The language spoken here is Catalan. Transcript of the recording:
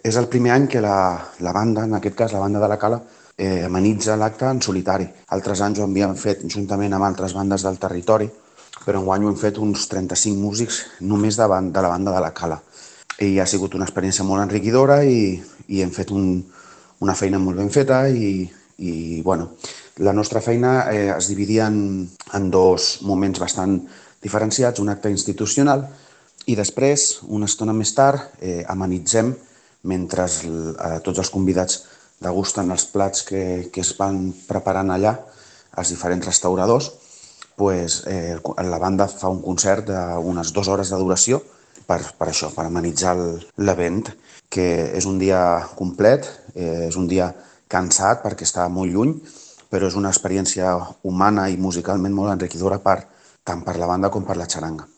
És el primer any que la banda, en aquest cas la banda de la Cala, amenitza l'acte en solitari. Altres anys ho havíem fet juntament amb altres bandes del territori, però enguany ho hem fet uns 35 músics només de la banda de la Cala. I ha sigut una experiència molt enriquidora i hem fet una feina molt ben feta i bueno, la nostra feina es dividia en dos moments bastant diferenciats, un acte institucional i després, una estona més tard, amenitzem mentre tots els convidats degusten els plats que es van preparant allà, als diferents restauradors, pues, la banda fa un concert d'unes 2 hores de duració per això, per amenitzar l'event, que és un dia complet, és un dia cansat perquè està molt lluny, però és una experiència humana i musicalment molt enriquidora tant per la banda com per la xaranga.